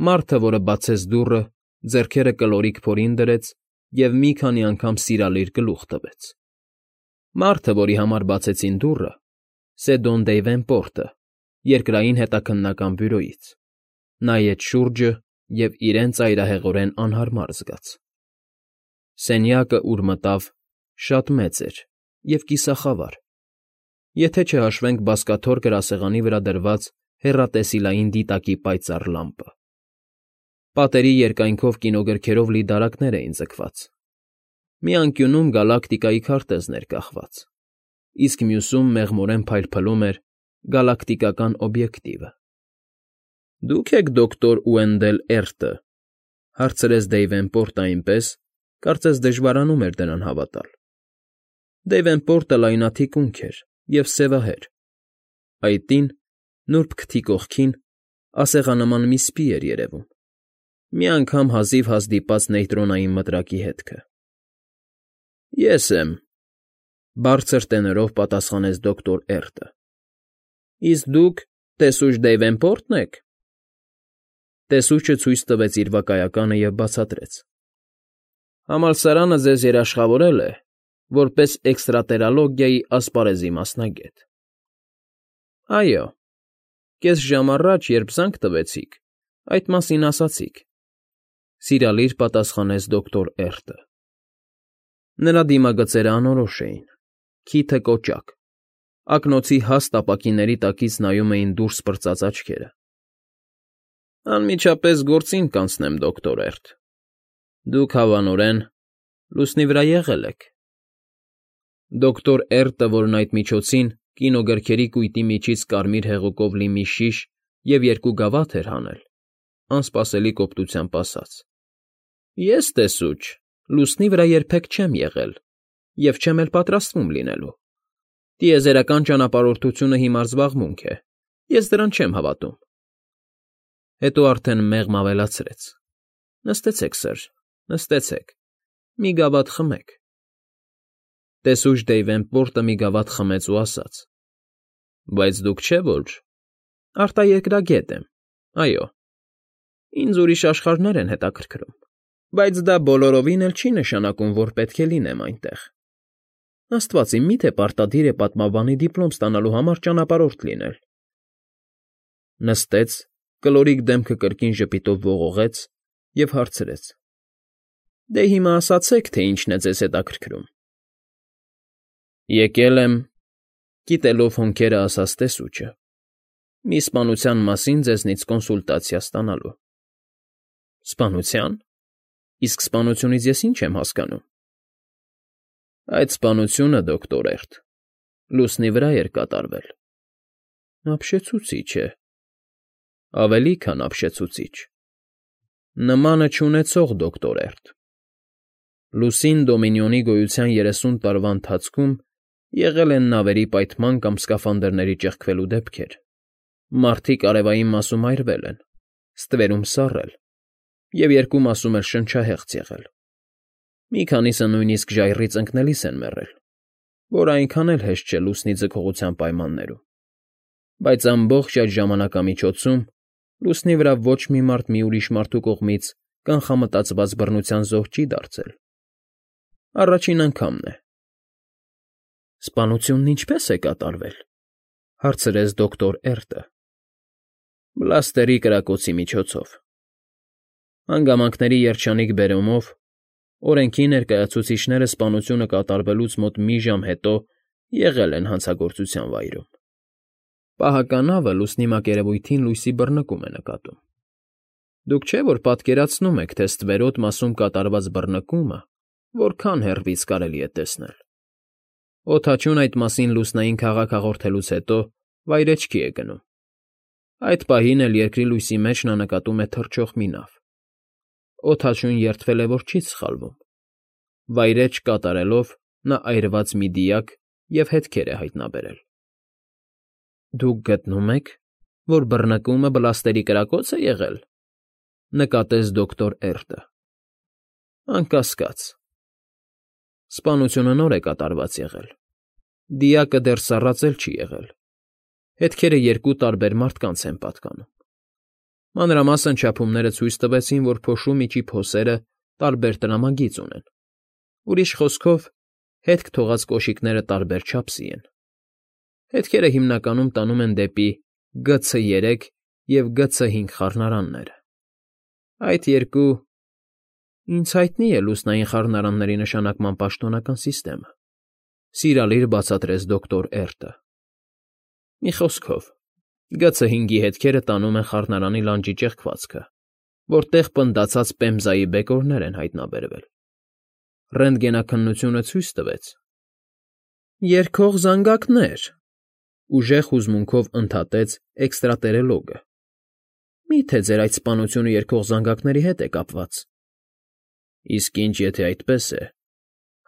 Մարդը, որը բացեց դուռը, ձեռքերը կլորիկ փորին դրեց և մի քանի անգամ սիրալիր գլուխ տվեց։ Մարդը, որի համար բացեցին դուռը, Սեդոն Դեյվենպորտը, երկրային հետաքննական բյուրոյից, նայեց շուրջը և իրեն ծայրահեղորեն անհարմար զգաց։ Սենյակը, ուր մտավ, շատ մեծ էր և կիսախավար, եթե չհաշվենք բազկաթոռ գրասեղանի վրա դրված հեռատեսիլային դիտակի պայծառ լամպը։ Պատերի երկայնքով կինոգրքերով լի դարակներ էին ձգված։ Մի անկյունում գալակտիկայի քարտեզն էր կախված, իսկ մյուսում մեղմորեն փայլփլում էր գալակտիկական օբյեկտիվը։ ֊ Դուք եք դոկտոր Ուենդել Էրտը,֊ հարցրեց Դեյվենպորտը այնպես, կարծես դժվարանում էր դրան հավատալ։ Դեյվենպորտը լայնաթիկունք էր և սևահեր։ Այտին, նուրբ քթի կողքին, ասեղանման մի սպի էր երևում, մի անգամ հազիվ հազդիպած նեյտրոնային մտրակի հետքը։ ֊ Ես եմ,֊ բարձր տենորով պատասխանեց դոկտոր Էրտը։ ֊ Իսկ դուք տեսուչ Դեյվենպո՞րտն եք։ Տեսուչը ցույց տվեց իր վկայականը և բացատրեց. Համալսարանը ձեզ երաշխավորել է որպես էքստրատերալոգիայի ասպարեզի մասնագետ։ ֊ Այո, կես ժամ առաջ, երբ զանգ տվեցիք, այդ մասին ասացիք,֊ սիրալիր պատասխանեց դոկտոր Էրտը։ Նրա դիմագծերը անորոշ էին, քիթը կոճակ, ակնոցի հաստ ապակիների տակից նայում էին դուրս պրծած աչքերը։ ֊ Անմիջապես գործին կանցնեմ, դոկտոր Էրտ, դուք հավանորեն լուսնի վրա եղել եք։ Դոկտոր Էրտը, որն այդ միջոցին կինոգրքերի կույտի միջից կարմիր հեղուկով լի մի շիշ և երկու գավաթ էր հանել, անսպասելի կոպտությամբ ասաց. Ես տեսուչ լուսնի վրա երբեք չեմ եղել և չեմ էլ պատրաստվում լինելու։ Տիեզերական ճանապարհորդությունը հիմար զբաղմունք է, ես դրան չեմ հավատում։ Հետո արդեն մեղմ ավելացրեց. Նստեցեք, սըր, նստեցեք, մի գավաթ խմեք։ Տեսուչ Դեյվենպորտը մի գավաթ խմեց ու ասաց. Բայց դուք չէ՞ որ… Արտաերկրագետ եմ, այո, ինձ ուրիշ աշխարհներ են հետաքրքրում, բայց դա բոլորովին էլ չի նշանակում, որ պետք է լինեմ այնտեղ։ Աստված իմ, մի՞թե պարտադիր է պատմաբանի դիպլոմ ստանալու համար ճանապարհորդ լինել։ Նստեց, կլորիկ դեմքը կրկին ժպիտով ողողեց և հարցրեց. Դե հիմա ասացեք, թե ինչն է ձեզ հետաքրքրում։ Եկել եմ, կիտելով հոնքերը ասաց տեսուչը, մի սպանության մասին ձեզնից կոնսուլտացիա ստանալու։ Սպանությա՞ն։ Իսկ սպանությունից ես ինչ եմ հասկանում։ Այդ սպանությունը, դոկտոր Էրտ, լուսնի վրա էր կատարվել։ Ապշեցուցիչ է։ Ավելի քան ապշեցուցիչ։ Նմանը չունեցող, դոկտոր Էրտ։ Լուսին Դոմինիոնի գոյության 30 տարվա ընթացքում եղել են նավերի պայթման կամ սկաֆանդրների ճեղքվելու դեպքեր, մարդիկ արևային մասում այրվել են, ստվերում սառել և երկու մասում էլ շնչահեղձ եղել։ Մի քանիսը նույնիսկ ժայռից ընկնելիս են մեռել, որ այնքան էլ հեշտ չէ լուսնի ձգողության պայմաններում, բայց ամբողջ այդ ժամանակամիջոցում լուսնի վրա ոչ մի մարդ մի ուրիշ մարդու կողմից կանխամտածված բռնության զոհ չի դարձել։ Առաջին անգամն է։ Սպանությունն ինչպե՞ս է կատարվել,֊ հարցրեց դոկտոր Էրտը։ Բլաստերի կրակոցի միջոցով։ Հանգամանքների երջանիկ բերումով օրենքի ներկայացուցիչները սպանությունը կատարվելուց մոտ մի ժամ հետո եղել են հանցագործության վայրում։ Պահականավը լուսնի մակերևույթին լույսի բռնկում է նկատում։ Դուք չէ՞ որ պատկերացնում եք, թե ստվերոտ մասում կատարված բռնկումը որքան հեռվից կարելի է տեսնել։ Օդաչուն այդ մասին լուսնային քաղաք հաղորդելուց հետո վայրէջքի է գնում։ Այդ պահին էլ երկրի լույսի մեջ նա նկատում է թռչող մի նավ։ Օդաչուն երդվել է, որ չի սխալվում։ Վայրէջք կատարելով նա այրված մի դիակ և հետքեր է հայտնաբերել։ Դուք գտնում եք, որ բռնկումը բլաստերի կրակո՞ց է եղել,֊ նկատեց դոկտոր Էրտը։ Անկասկած։ Սպանությունը նոր է կատարված եղել։ Դիակը դեռ սառած էլ չի եղել։ Հետքերը երկու տարբեր մարդկանց են պատկանում։ Մանրամասն չափումները ցույց տվեցին, որ փոշու միջի փոսերը տարբեր տրամագիծ ունեն։ Ուրիշ խոսքով, հետք թողած կոշիկները տարբեր չափսի են։ Հետքերը հիմնականում տանում են դեպի GC3 և GC5 խառնարանները։ Այդ երկու… Ինձ հայտնի է լուսնային խառնարանների նշանակման պաշտոնական սիստեմը, սիրալիր բացատրեց դոկտոր Էրտը։ Մի խոսքով, GC5-ի հետքերը տանում են խառնարանի լանջի ճեղքվածքը, որտեղ պնդացած պեմզայի բեկորներ են հայտնաբերվել։ Ռենտգենաքննությունը ցույց տվեց… Երգող զանգակներ, ուժեղ հուզմունքով ընդհատեց էքստրատերելոգը։ Մի՞թե ձեր այդ սպանությունը երգող զանգակների հետ է կապված։ Իսկ ինչ եթե այդպես է,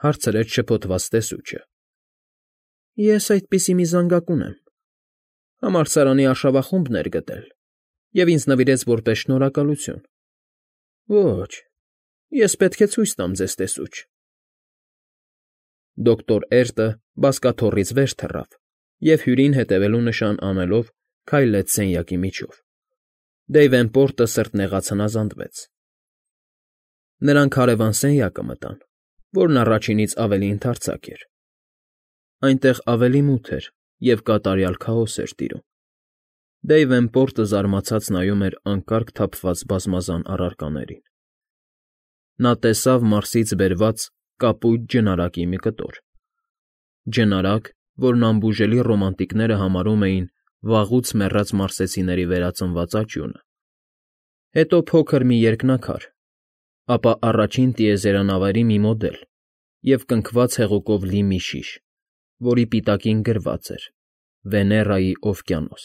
հարցրեց շփոթված տեսուչը։ Ես այդպիսի մի զանգակ ունեմ։ Համալսարանի արշավախումբն էր գտել և ինձ նվիրեց որպես շնորհակալություն։ Ոչ, ես պետք է ցույց տամ ձեզ տեսուչ։ Դոկտոր Էրտը բազկաթոռից վեր թռավ և հյուրին հետևելու նշան անելով քայլեց սենյակի միջով։ Դեյվենպորտը սրտնեղած հնազանդվեց։ Նրանք հարևան սենյակը մտան, որն առաջինից ավելի ընդարձակ էր։ Այնտեղ ավելի մութ էր և կատարյալ քաոս էր տիրում։ Դեյվենպորտը զարմացած նայում էր անկարգ թափված բազմազան առարկաներին։ Նա տեսավ Մարսից բերված կապույտ ջնարակի մի կտոր։ Ջնարակ, որն անբուժելի ռոմանտիկները համարում էին վաղուց մեռած մարսեցիների վերածնված աճյունը, հետո փոքր մի երկնաքար, ապա առաջին տիեզերանավերի մի մոդել և կնքված հեղուկով լի մի շիշ, որի պիտակին գրված էր. Վեներայի օվկիանոս։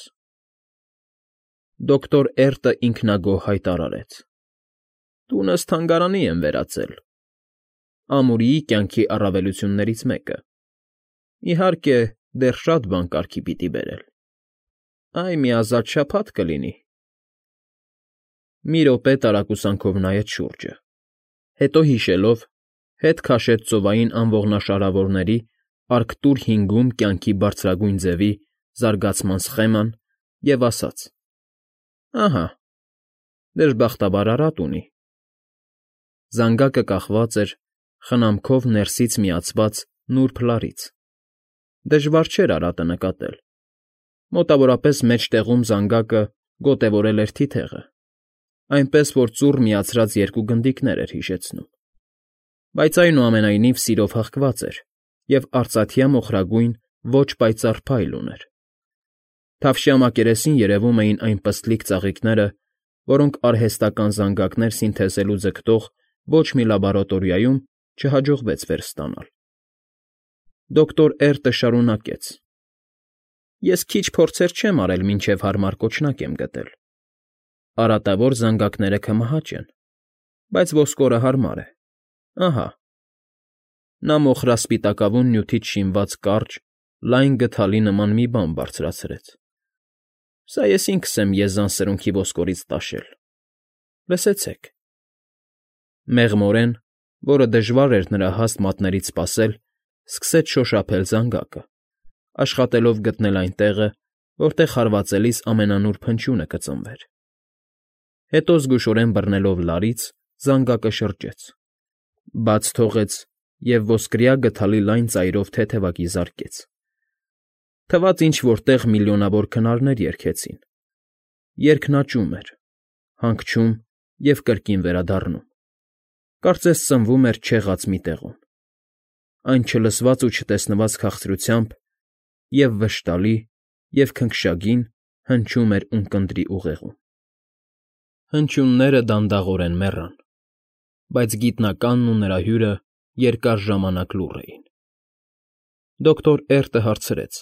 Դոկտոր Էրտը ինքնագոհ հայտարարեց. Տունս թանգարանի եմ վերածել։ Ամուրիի կյանքի առավելություններից մեկը։ Իհարկե, դեռ շատ բան կարգի պիտի բերել։ Այ մի ազատ շաբաթ կլինի։ Մի րոպե տարակուսանքով նայեց շուրջը, հետո հիշելով, հետ քաշեց ծովային անողնաշարավորների Արկտուր 5-ում կյանքի բարձրագույն ձևի զարգացման սխեման և ասաց. Ահա, դժբախտաբար արատ ունի։ Զանգակը կախված էր խնամքով ներսից միացված նուրբ լարից։ Դժվար չէր արատը նկատել։ Մոտավորապես մեջտեղում զանգակը գոտևորել էր թիթեղը, այնպես որ ծուռ միացրած երկու գնդիկներ էր հիշեցնում։ Բայց այնուամենայնիվ սիրով հղկված էր և արծաթյա մոխրագույն ոչ պայծառ փայլ ուներ։ Թավշյա մակերեսին երևում էին այն պստլիկ ծաղիկները, որոնք արհեստական զանգակներ սինթեզելու ձգտող ոչ մի լաբորատորիայում չհաջողվեց վերստանալ։ Դոկտոր Էրտը շարունակեց. Ես քիչ փորձեր չեմ արել, մինչև հարմար կոճնակ եմ գտել։ Արատավոր զանգակները քմահաճ են, բայց ոսկորը հարմար է։ Ահա։ Նա մոխրասպիտակավուն նյութից շինված կարճ, լայն գդալի նման մի բան բարձրացրեց։ Սա ես ինքս եմ եզան սրունքի ոսկորից տաշել։ Լսեցեք։ Մեղմորեն, որը դժվար էր նրա հաստ մատներից սպասել, սկսեց շոշափել զանգակը, աշխատելով գտնել այն տեղը, որտեղ հարվածելիս ամենանուրբ հնչյունը կծնվեր։ Հետո զգուշորեն բռնելով լարից, զանգակը շրջեց, բաց թողեց և ոսկրյա գդալի լայն ծայրով թեթևակի զարկեց։ Թվաց ինչ֊որ տեղ միլիոնավոր քնարներ երգեցին։ Երգն աճում էր, հանգչում և կրկին վերադառնում։ Կարծես սնվում էր չեղած մի տեղում։ Այն չլսված ու չտեսնված քաղցրությամբ և՛ վշտալի, և՛ քնքշագին հնչում էր ունկնդրի ուղեղում։ Հնչյունները դանդաղորեն մեռան, բայց գիտնականն ու նրա հյուրը երկար ժամանակ լուռ էին։ Դոկտոր Էրտը հարցրեց.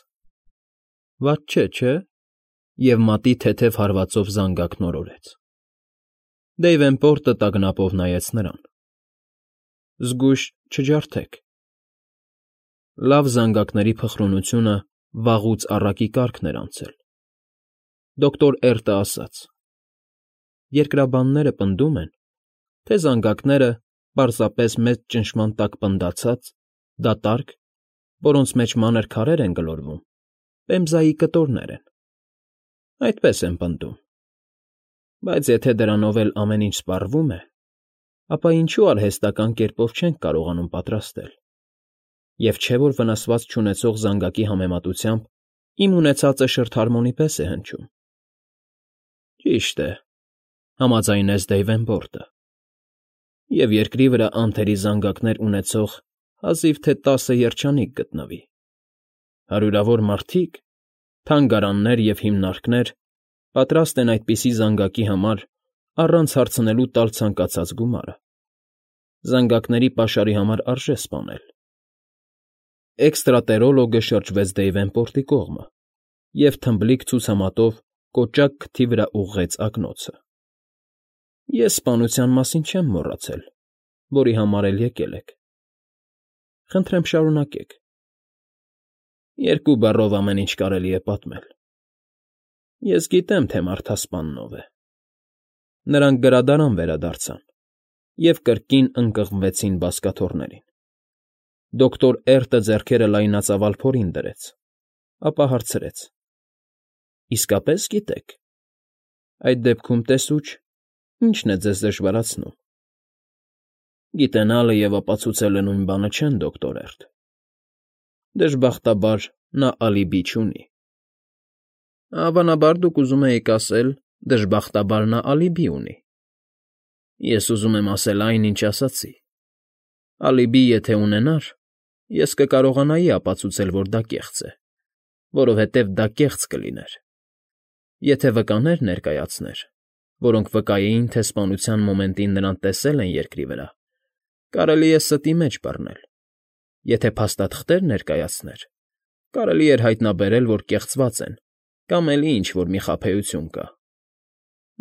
Վատ չէ՞։ Եվ մատի թեթև հարվածով զանգակն օրորեց։ Դեյվենպորտը տագնապով նայեց նրան։ Զգույշ չջարդեք։ Լավ զանգակների փխրունությունը վաղուց առակի կարգն էր անցել։ Դոկտոր Էրտը ասաց. Երկրաբանները պնդում են, թե զանգակները պարզապես մեծ ճնշման տակ պնդացած, դատարկ, որոնց մեջ մանր քարեր են գլորվում, պեմզայի կտորներ են։ Այդպես են պնդում։ Բայց եթե դրանով էլ ամեն ինչ սպառվում է, ապա ինչու արհեստական կերպով չենք կարողանում պատրաստել։ Եվ չէ՞ որ վնասված չունեցող զանգակի համեմատությամբ իմ ունեցածը շրթհարմոնի պես է հնչում։ Ճիշտ է, համաձայնեց Դեյվենպորտը։ Եվ երկրի վրա անթերի զանգակներ ունեցող հազիվ թե 10 երջանիկ գտնվի։ Հարյուրավոր մարդիկ, թանգարաններ և հիմնարկներ պատրաստ են այդպիսի զանգակի համար առանց հարցնելու տալ ցանկացած գումարը։ Զանգակների պաշարի համար արժե սպանել։ Էքստրատերոլոգը շրջվեց Դեյվենպորտի կողմը և թմբլիկ ցուցամատով կոճակ քթի վրա ուղղեց ակնոցը։ Ես սպանության մասին չեմ մոռացել, որի համար էլ եկել եք։ Խնդրեմ շարունակեք։ 2 բառով ամեն ինչ կարելի է պատմել։ Ես գիտեմ, թե մարդասպանն ով է։ Նրանք գրադարան վերադարձան և կրկին ընկղմվեցին բազկաթոռներին։ Դոկտոր Էրտը ձեռքերը լայնածավալ փորին դրեց, ապա հարցրեց. Իսկապես գիտեք։ Այդ դեպքում տեսուչ, ի՞նչն է ձեզ դժվարացնում։ Գիտենալը և ապացուցելը նույն բանը չեն, դոկտոր Էրտ։ Դժբախտաբար նա ալիբի չունի։ Հավանաբար դուք ուզում էիք ասել. դժբախտաբար նա ալիբի ունի։ Ես ուզում եմ ասել այն, ինչ ասացի։ Ալիբի եթե ունենար, ես կկարողանայի ապացուցել, որ դա կեղծ է, որովհետև դա կեղծ կլիներ։ Եթե վկաներ ներկայացներ, որոնք վկայեին, թե սպանության մոմենտին նրան տեսել են երկրի վրա, կարելի է ստի մեջ բռնել։ Եթե փաստաթղթեր ներկայացներ, կարելի էր հայտնաբերել, որ կեղծված են, կամ էլի ինչ֊որ մի խաբեություն կա։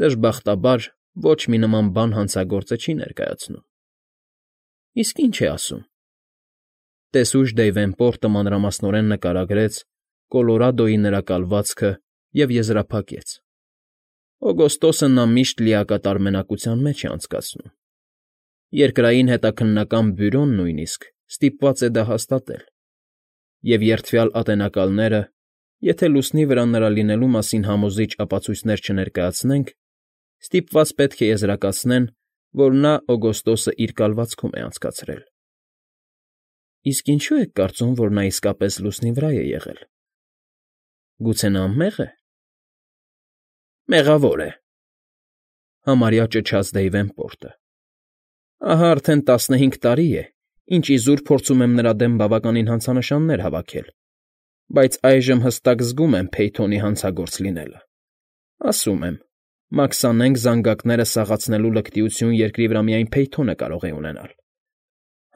Դժբախտաբար ոչ մի նման բան հանցագործը չի ներկայացնում։ Իսկ ի՞նչ է ասում։ Տեսուչ Դեյվենպորտը մանրամասնորեն նկարագրեց Կոլորադոյի նրա կալվածքը և եզրափակեց. Օգոստոսը նա միշտ լիակատար մենակության մեջ է անցկացնում։ Երկրային հետաքննական բյուրոն նույնիսկ ստիպված է դա հաստատել։ Եվ երդվյալ ատենակալները, եթե լուսնի վրա նրա լինելու մասին համոզիչ ապացույցներ չներկայացնենք, ստիպված պետք է եզրակացնեն, որ նա օգոստոսը իր կալվածքում է անցկացրել։ Իսկ ինչու եք կարծում, որ նա իսկապես լուսնի վրա է եղել։ Գուցե նա անմե՞ղ է։ Մեղավոր է, համարյա ճչաց Դեյվենպորտը։ Ահա արդեն 15 տարի է, ինչ իզուր փորձում եմ նրա դեմ բավականին հանցանշաններ հավաքել, բայց այժմ հստակ զգում եմ Փեյթոնի հանցագործ լինելը։ Ասում եմ, մաքսանենգ զանգակները սաղացնելու լկտիություն երկրի վրա միայն Փեյթոնը կարող է ունենալ։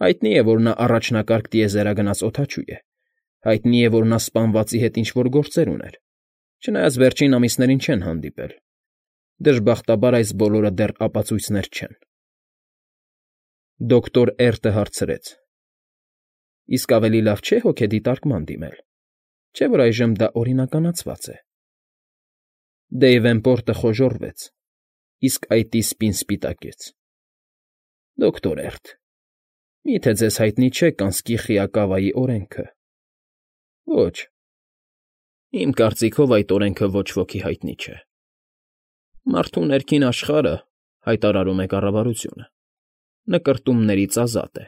Հայտնի է, որ նա առաջնակարգ տիեզերագնաց օդաչու է։ Հայտնի է, որ նա սպանվածի հետ ինչ֊որ գործեր ուներ, չնայած վերջին ամիսներին չեն հանդիպել։ Դժբախտաբար այս բոլորը դեռ ապացույցներ չեն։ Դոկտոր Էրտը հարցրեց. Իսկ ավելի լավ չէ հոգեդիտարկման դիմել, չէ՞ որ այժմ դա օրինականացված է։ Դեյվենպորտը խոժոռվեց, իսկ այտի սպին սպիտակեց։ Դոկտոր Էրտ, մի՞թե ձեզ հայտնի չէ կանսկի Խիակավայի օրենքը։ Ոչ։ Իմ կարծիքով այդ օրենքը ոչ ոքի հայտնի չէ։ Մարդու ներքին աշխարհը, հայտարարում է կառավարությունը, նկրտումներից ազատ է։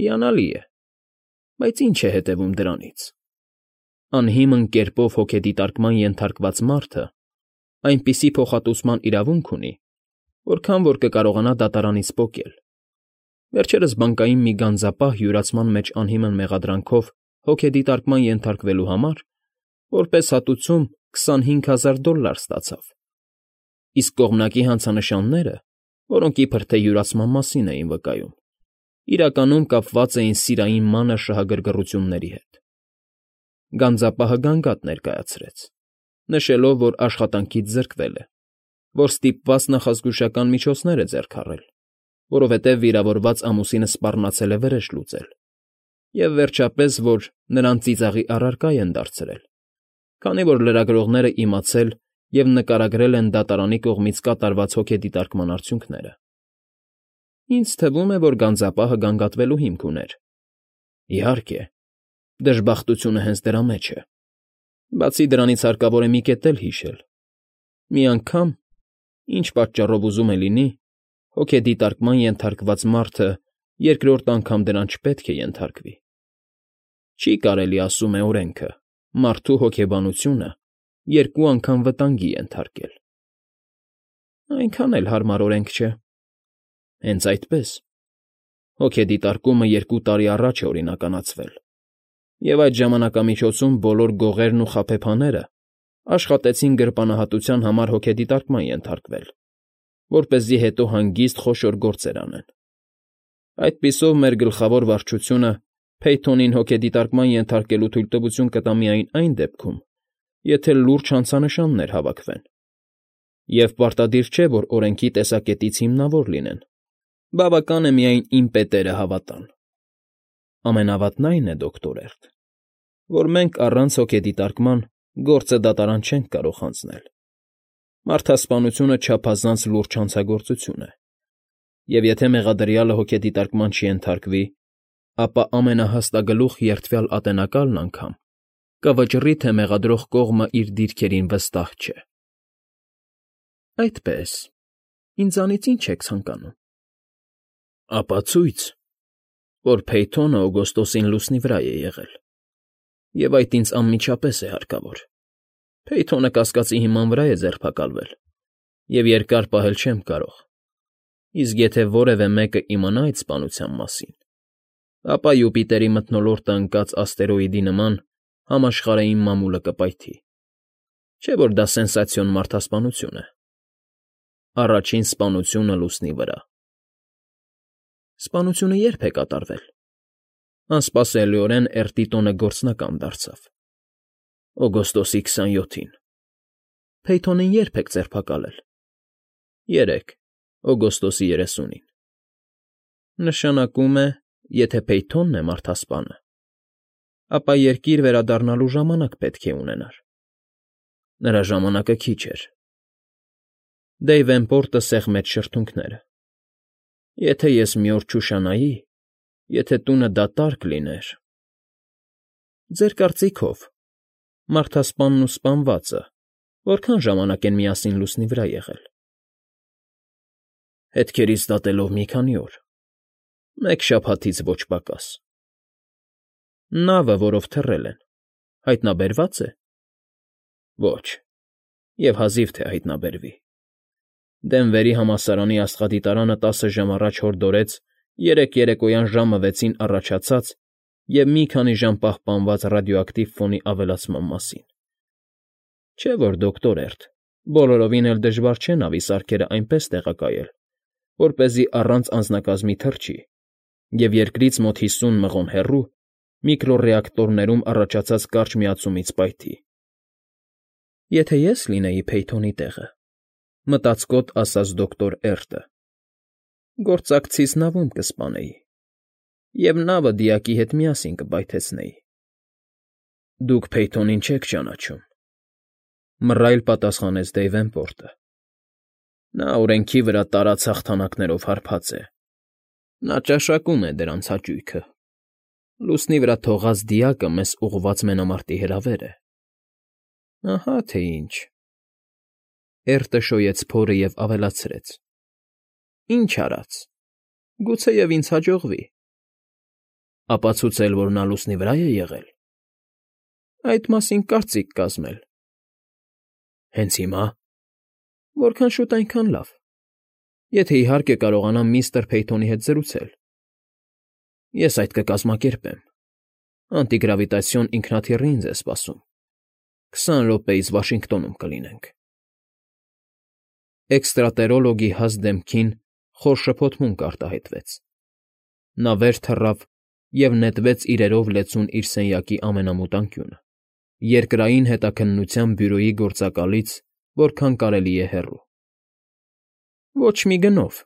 Հիանալի է, բայց ինչ է հետևում դրանից։ Անհիմն կերպով հոգեդիտարկման ենթարկված մարդը այնպիսի փոխհատուցման իրավունք ունի, որքան որ կկարողանա դատարանից պոկել։ Վերջերս բանկային մի գանձապահ յուրացման մեջ անհիմն մեղադրանքով հոգեդիտարկման ենթարկվելու համար որպես հատուցում $25,000 ստացավ։ Իսկ կողմնակի հանցանշանները, որոնք իբր թե յուրացման մասին էին վկայում, իրականում կապված էին սիրային մանր շահագրգռությունների հետ։ Գանձապահը գանգատ ներկայացրեց, նշելով, որ աշխատանքից զրկվել է, որ ստիպված նախազգուշական միջոցներ է ձեռք առել, որովհետև վիրավորված ամուսինը սպառնացել է վրեժ լուծել, և վերջապես, որ նրան ծիծաղի առարկա են դարձրել, քանի որ լրագրողները իմացել և նկարագրել են դատարանի կողմից կատարված հոգեդիտարկման արդյունքները։ Ինձ թվում է, որ գանձապահը գանգատվելու հիմք ուներ։ Իհարկե, դժբախտությունը հենց դրա մեջ է։ Բացի դրանից հարկավոր է մի կետ էլ հիշել։ Մի անգամ, Ինչ պատճառով ուզում է լինի, հոգեդիտարկման ենթարկված մարդը երկրորդ անգամ դրան չպետք է ենթարկվի։ Չի կարելի, ասում է օրենքը, մարդու հոգեբանությունը երկու անգամ վտանգի ենթարկել։ Այնքան էլ հարմար օրենք չէ։ Հենց այդպես։ Հոգեդիտարկումը 2 տարի առաջ է օրինականացվել, և այդ ժամանակամիջոցում բոլոր գողերն ու խաբեբաները աշխատեցին գրպանահատության համար հոգեդիտարկման ենթարկվել, որպեսզի հետո հանգիստ խոշոր գործեր անեն։ Այդպիսով մեր գլխավոր վարչությունը Փեյթոնին հոգեդիտարկման ենթարկելու թույլտվություն կտա միայն այն դեպքում, եթե լուրջ հանցանշաններ հավաքվեն։ Եվ պարտադիր չէ, որ օրենքի տեսակետից հիմնավոր լինեն։ Բավական է միայն իմ պետերը հավատան։ Ամենավատն այն է, դոկտոր Էրտ, որ մենք առանց հոգեդիտարկման գործը դատարան չենք կարող հանձնել։ Մարդասպանությունը չափազանց լուրջ հանցագործություն է, և եթե մեղադրյալը հոգեդիտարկման չենթարկվի, ապա ամենահաստագլուխ երդվյալ ատենակալն անգամ կվճռի, թե մեղադրող կողմը իր դիրքերին վստահ չէ։ Այդպես, ինձանից ի՞նչ եք ցանկանում։ Ապացույց, որ Փեյթոնը օգոստոսին լուսնի վրա է եղել, և այդ ինձ անմիջապես է հարկավոր։ Փեյթոնը կասկածի հիման վրա է ձերբակալվել, և երկար պահել չեմ կարող։ Իսկ եթե որևէ մեկը իմանա այդ սպանության մասին, ապա Յուպիտերի մթնոլորտը ընկած աստերոիդի նման համաշխարհային մամուլը կպայթի։ Չէ՞ որ դա սենսացիոն մարդասպանություն է։ Առաջին սպանությունը լուսնի վրա։ Սպանությունը ե՞րբ է կատարվել։ Անսպասելիորեն Էրտի տոնը գործնական դարձավ։ Օգոստոսի 27-ին։ Փեյթոնին ե՞րբ եք ձերբակալել։ Երեկ, օգոստոսի 30-ին։ Նշանակում է, եթե Փեյթոնն է մարդասպանը, ապա երկիր վերադառնալու ժամանակ պետք է ունենար։ Նրա ժամանակը քիչ էր։ Դեյվենպորտը սեղմեց շրթունքները։ Եթե ես մի օր չուշանայի, եթե տունը դատարկ լիներ… Ձեր կարծիքով, մարդասպանն ու սպանվածը որքան ժամանակ են միասին լուսնի վրա եղել։ Հետքերից դատելով մի քանի օր, մեկ շաբաթից ոչ պակաս։ Նավը, որով թռել են, հայտնաբերվա՞ծ է։ Ոչ, և հազիվ թե հայտնաբերվի։ Դենվերի համալսարանի աստղադիտարանը 10 ժամ առաջ հորդորեց 3 երեկոյան ժամը 6-ին առաջացած և մի քանի ժամ պահպանված ռադիոակտիվ ֆոնի ավելացման մասին։ Չէ՞ որ, դոկտոր Էրտ, բոլորովին էլ դժվար չէ նավի սարքերը այնպես տեղակայել, որպեսզի առանց անձնակազմի թռչի և երկրից մոտ 50 մղոն հեռու միկրոռեակտորներում առաջացած կարճ միացումից պայթի։ Եթե ես լինեի Փեյթոնի տեղը, մտածկոտ ասաց դոկտոր Էրտը, գործակցիս նավում կսպանեի, և նավը դիակի հետ միասին կպայթեցնեի։ Դուք Փեյթոնին չեք ճանաչում,֊ մռայլ պատասխանեց Դեյվենպորտը։ Նա օրենքի վրա տարած հաղթանակներով հարբած է։ Նա ճաշակում է դրանց հաճույքը։ Լուսնի վրա թողած դիակը մեզ ուղղված մենամարտի հրավեր է։ Ահա թե ինչ։ Էրտը շոյեց փորը և ավելացրեց. Ինչ արած, գուցեև ինձ հաջողվի։ Ապացուցել, որ նա լուսնի վրա է եղել։ Այդ մասին կարծիք կազմել։ Հենց հիմա։ Որքան շուտ, այնքան լավ։ Եթե իհարկե կարողանամ միստր Փեյթոնի հետ զրուցել։ Ես այդ կկազմակերպեմ։ Անտիգրավիտացիոն ինքնաթիռի ինձ է սպասում։ 20 րոպեից Վաշինգտոնում կլինենք։ Էքստրատերոլոգի հաստ դեմքին խոր շփոթմունք արտահայտվեց։ Նա վեր թռավ և նետվեց իրերով լեցուն իր սենյակի ամենամութ անկյունը, երկրային հետաքննության բյուրոյի գործակալից որքան կարելի է հեռու։ Ոչ մի գնով։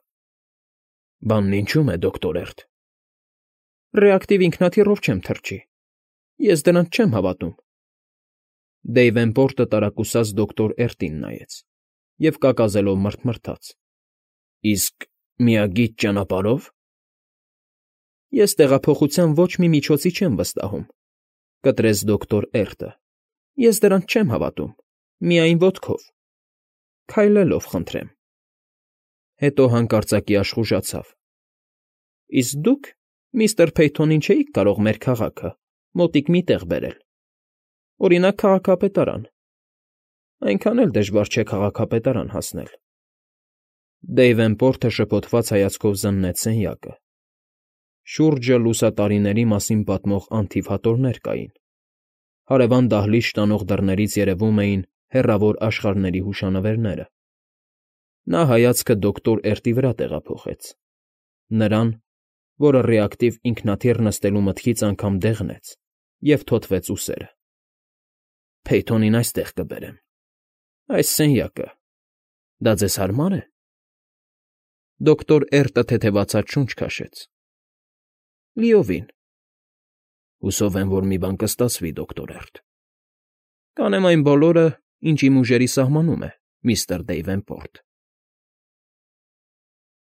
Բանն ինչու՞մ է, դոկտոր Էրտ։ Ռեակտիվ ինքնաթիռով չեմ թռչի։ Ես դրանց չեմ հավատում։ Դեյվենպորտը տարակուսած դոկտոր Էրտին նայեց և կակազելով մռթմռթաց. Իսկ միագիծ ճանապարհո՞վ։ Ես տեղափոխության ոչ մի միջոցի չեմ վստահում,֊ կտրեց դոկտոր Էրտը։ Ես դրանց չեմ հավատում, միայն ոտքով, քայլելով, խնդրեմ։ Հետո հանկարծակի աշխուժացավ։ Իսկ դուք միստր Փեյթոնին չէիք կարող մեր քաղաքը մոտիկ մի տեղ բերել, օրինակ, քաղաքապետարան։ Այնքան էլ դժվար չէ քաղաքապետարան հասնել։ Դեյվենպորտը շփոթված հայացքով զննեց սենյակը։ Շուրջը լուսատարիների մասին պատմող անթիվ հատորներ կային։ Հարևան դահլիճ տանող դռներից երևում էին հեռավոր աշխարհների հուշանվերները։ Նա հայացքը դոկտոր Էրտի վրա տեղափոխեց, նրան, որը ռեակտիվ ինքնաթիռ նստելու մտքից անգամ դեղնեց և թոթվեց ուսերը։ Փեյթոնին այստեղ կբերեմ, այս սենյակը, դա ձեզ հարմա՞ր է։ Դոկտոր Էրտը թեթևացած շունչ քաշեց։ Լիովին։ Հուսով եմ, որ մի բան կստացվի, դոկտոր Էրտ։ Կանեմ այն բոլորը, ինչ իմ ուժերի սահմանում է, միստր Դեյվենպորտ։